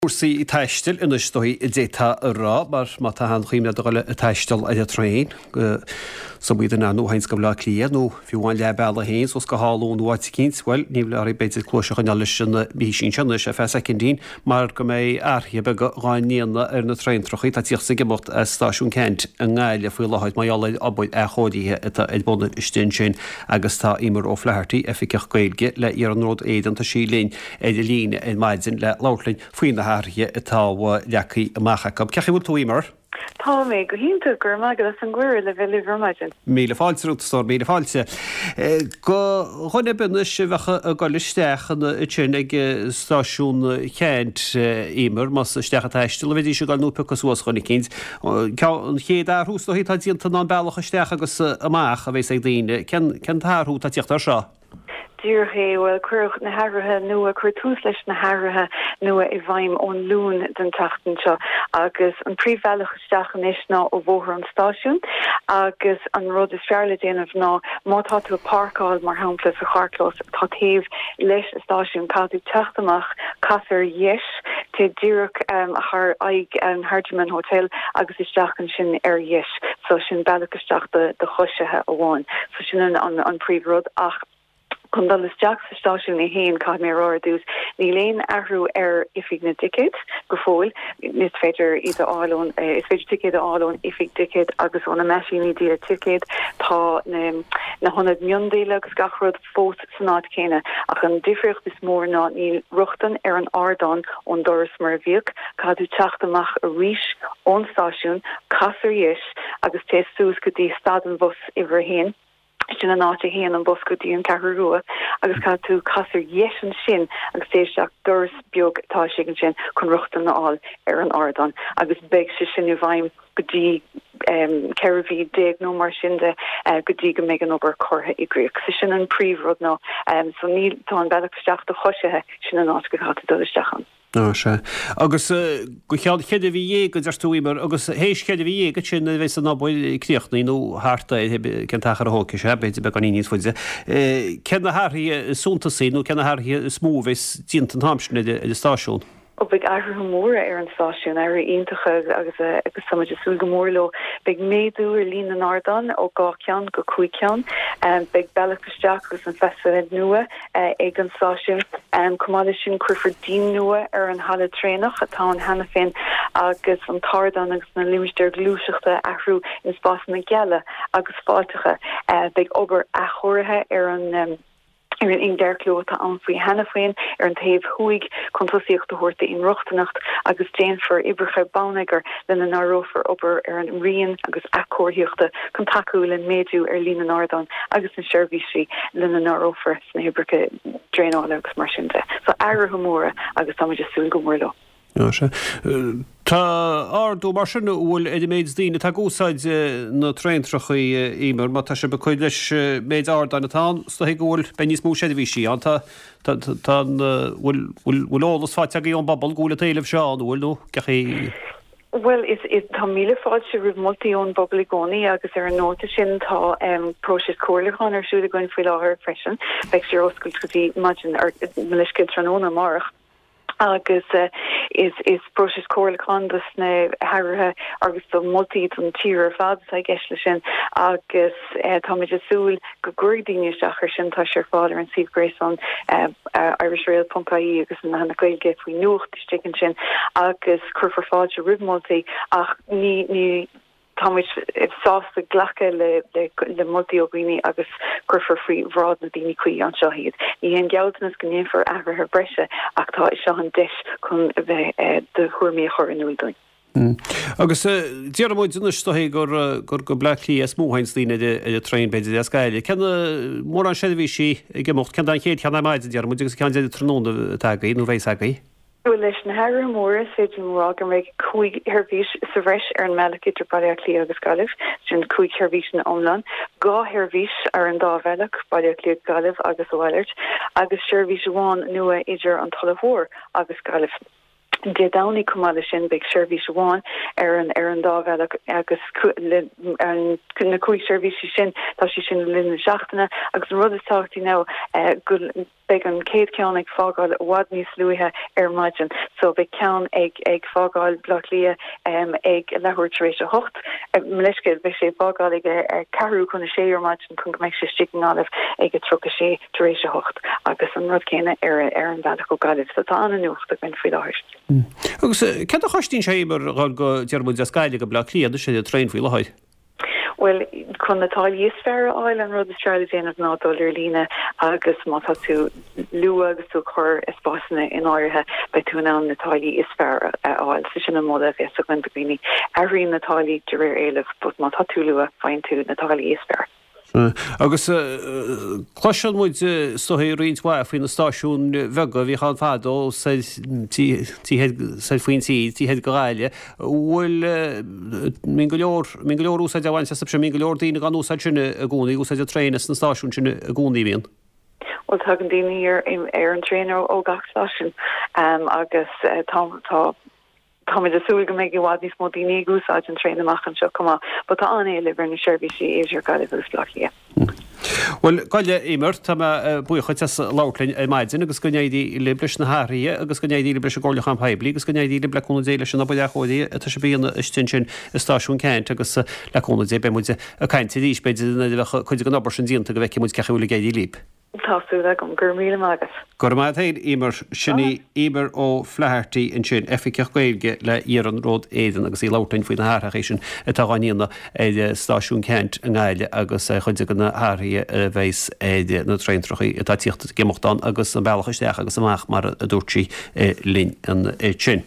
Cúrsaí taistil anois is dóigh a d'fhéadfá a rá, mar má tá aon chuimhne agat a dhul ag taisteal ar an traein go Sumaí den nó théanns go Baile Átha Cliath nó fiú amháin leath bealaigh féin suas go hÁth Luain nó áit eicínt, bhuel, ní bheidh oraibh b'fhéidir cluais a choinneáil leis an bhfísín seo anois ar feadh soicindín mar go mbeidh athruithe beaga dhá ndéanamh ar na traentrachaí atá ag tíocht is ag imeacht as Stáisiún Ceannt i nGaillimh faoi láthair mar gheall ar obair athchóirithe atá ar bun istigh ansin agus tá Emer O'Flaherty, Oifigeach Gaeilge le Iarnród Éireann, tá sí linn ar an líne ar maidin le labhairt linn faoi na hathruithe atá leagtha amach acu. Cén chaoi a bhfuil tú, Emer? Tá mé go hiontach, go raibh maith agat as an gcuireadh le bheith libh ar maidin. Míle fáilte romhat, a stór, míle fáilte. Do dhuine ar bith anois a bheadh ag dul isteach ansin ag stáisiún Cheannt, Emer, más isteach ag taisteal a bheidís ag dul nó ag piocadh suas dhuine eicínt, an chéad athrú is dóichí atá déanta ná an bealach isteach agus amach a bheas ag daoine. Cén t-athrú atá ag tíocht air seo? Díreach é. Bhuel, cuireadh na hathruithe nua, cuireadh tús leis na hathruithe nua i bhfeidhm ón Luan den tseachtain seo agus an príomhbhealach isteach anois ná ó Bhóthar an Stáisiúin agus an rud is fearr le déanamh ná má tá tú ag páirceáil, mar shampla, sa charrchlós atá taobh leis an stáisiún, caithfidh tú teacht amach, cas ar dheis, téigh díreach thar aghaidh an Hardiman Hotel agus isteach ansin ar dheis. So sin bealach isteach do choisithe amháin. So sin an príomh rud ach chun dul isteach sa stáisiún é féin, caithfidh mé a rá ar dtús, níl aon athrú ar oifig na dticéad go fóill. Is féidir iad a fháil ón, is féidir ticéid a fháil ón oifig dticéad agus ó na meaisíní díola ticéad. Tá na na hionaid miondíola agus gach rud fós san áit chéanna ach an difríocht is mór ná níl rochtain ar an ardán ón doras mar a bhíodh. Caithfidh tú teacht amach arís ón stáisiún, cas ar dheis agus téigh suas go dtí stad an bhus uimhir a haon. Sin an áit a théann an bus go dtí an Cheathrú Rua agus caithfidh tú casadh ar dheis ansin agus téigh isteach doras beag atá istigh ansin chun rochtain a fháil ar an ardán agus beidh sé sin i bhfeidhm go dtí 14 mhí nó mar sin de go dtí go mbeidh an obair curtha i gcrích. So sin an príomh rud ná so níl tá an bealach isteach do choisithe sin an áit go gcaithfidh tú dul isteach ann. Á, sea. Agus go ceann cheithre mhí dhéag, a deir tú, Emer, agus théis cheithre mhí dhéag ansin a bheas an obair críochnaithe, nó thart air, cén t-achar a thógfaidh sé, b'fhéidir beagáinín níos faide. Cé na hathruithe is suntasaí nó cé na hathruithe is mó a bheas déanta an t-am sin ar an stáisiún? Ó, beidh athruithe móra ar an stáisiún, athruithe iontacha agus agus tá muid ag súil go mór leo. Beidh méadú ar líon na n-ardán ó 2 cheann go 5 ceann. Beidh bealach isteach agus an facade nua ag an stáisiún. Chomh maith leis sin, cuirfear díon nua ar an halla traenach atá ann cheana féin agus an t-ardán agus na limistéir ghluaiseachta a athrú ina spásanna geala agus fáilteacha. Beidh obair athchóirithe ar an ar an ingearchló atá ann faoi cheana féin ar an taobh thuaidh chun tosaíocht a thabhairt d'inrochtaineacht agus déanfar oibreacha bonneagair lena n-áireofar obair ar an rian agus athchomharthaíochta chun tacú le méadú ar líon na n-ardán agus na seirbhísí lena n-áireofar sna hoibreacha draenála agus mar sin de. So athruithe móra agus tá muid ag súil go mór leo. Á sea. Tá ardú mar sin an bhfuil ar an méid daoine atá ag úsáid na traentrachaí, Emer, má tá sibh ag cur leis méid ardáin atá ann, is dóigh go bhfuil, beidh níos mó seirbhísí ann. Tá, tá, tá an, bhfuil, bhfuil, bhfuil eolas faighte agaibh ón bpobal go bhfuil an t-éileamh seo ann, an bhfuil nó cén chaoi? Bhuel, is, is, tá míle fáilte roimh moltaí ón bpobal i gcónaí agus ar an nóta sin tá próiseas comhairliúcháin ar siúl againn faoi láthair freisin. Beidh sé ar oscailt go dtí maidin, ar, mo leithscéal, tráthnóna amárach. Agus is, is próiseas comhairliúcháin dos na hathruithe agus do mholtaí don tír ar fad atá i gceist leis sin agus táimid ag súil go gcuirfidh daoine isteach air sin. Tá sé ar fáil ar an suíomh gréasáin irishrail.ie agus an leathanach Gaeilge faoi nuacht. istigh ansin agus cuirfear fáilte roimh mholtaí ach ní ní tá muid sásta glacadh le le moltaí ó dhaoine agus cuirfear faoi bhráid na daoine cuí anseo iad. Ní haon gealltanas go ndéanfar athruithe breise ach tá seo an deis chun a bheith do thuairimí a chur in iúl dúinn. Agus déarfaidh muid anois is dóichí gur gur go Bleá Cliath is mó a théanns daoine ar ar an traein b'fhéidir as Gaillimh. Cé na mórán seirbhísí ag imeacht, cén an chéad cheann ar maidin déarfaidh muid agus an ceann deiridh tráthnóna atá agaibh nó bheas agaibh? Bhuel leis na hathruithe móra is féidir liom a rá go mbeidh 5 sheirbhís sa bhreis ar an mbealach idir Baile Átha Cliath agus Gaillimh, sin 5 sheirbhís ina iomlán, 2 sheirbhís ar an dá bhealach, Baile Átha Cliath, Gaillimh agus a mhalairt, agus seirbhís amháin nua idir an Tulach Mhór agus Gaillimh. Dé Domhnaigh chomh maith leis sin beidh seirbhís amháin ar an ar an dá bhealach agus le na 5 seirbhísí sin tá siad sin le linn na seachtaine agus an rud is tábhachtaí ná go. Beidh an chéad cheann ag fágáil i bhfad níos luaithe ar maidin. So beidh ceann ag ag fágáil Bleá Cliath ag leathuair tar éis a hocht. Mo leithscéal, beidh sé ag fágáil ag a ceathrú chun a sé ar maidin chun go mbeidh sé istigh i nGaillimh ag a 36 tar éis a hocht agus an rud céanna ar ar an bhealach ó Gaillimh. So tá an-nuacht againn faoi láthair. Agus céard a chosnaíonn sé Eimear a dhul go, déarfaidh muid, as Gaillimh go Bleá Cliath anois ar an traein faoi láthair? Bhuel, chun na táillí is fearr a fháil, an rud is fearr le déanamh ná dul ar líne agus má tá tú luath agus tú ag cur spásanna in áirithe, beidh tú in ann na táillí is fearr a fháil. So sin an moladh a bheas againn do dhaoine. Athraíonn na táillí de réir éilimh, but má tá tú luath, faigheann tú na táillí is fearr. Agus cloiseann muid is dóigh roinnt mhaith faoi na stáisiúin bheaga a bhíodh ann fadó soir soir faoin tír, taobh thoir de Ghaillimh. Bhfuil, mbíonn go leor, mbíonn go leor úsáid á bhaint astu sin, mbíonn go leor daoine á n-úsáid sin i gcónaí, ag úsáid an traein as na stáisiúin sin i gcónaí, bíonn? Bhuel, tagann daoine ar ar an traein ó gach stáisiún agus tá tá Táimid ag súil go mbeidh i bhfad níos mó daoine ag úsáid an traein amach anseo chomh maith, but tá an-éileamh ar na seirbhísí idir Gaillimh agus Baile Átha Cliath. Bhuel, gabh i leith, Eimear, tá mé buíoch dhuit as labhairt linn ar maidin agus go n-éirí libh leis na hathruithe agus go n-éirí libh leis an gcomhairliúchán poiblí agus go n-éirí libh le cúnamh Dé leis an obair athchóirithe atá sibh a dhéanamh istigh ansin i Stáisiún Ceannt agus le cúnamh Dé beidh muid ag caint arís b'fhéidir nuair a bheadh cuid den obair sin déanta go bhfeicfidh muid cén chaoi a bhfuil ag éirí libh. Tá súil agam. Go raibh míle maith agat. Go raibh maith agat féin, Eimear. Sin í Eimear O'Flaherty ansin, Oifigeach Gaeilge le Iarnród Éireann agus í ag labhairt linn faoi na hathruithe sin atá á ndéanamh ar Stáisiún Ceannt i nGaillimh agus ar chuid de na hathruithe a bheas ar na traentrachaí atá ag tíocht ag imeacht ann agus an bealach isteach agus amach mar a dúirt sí linn ansin.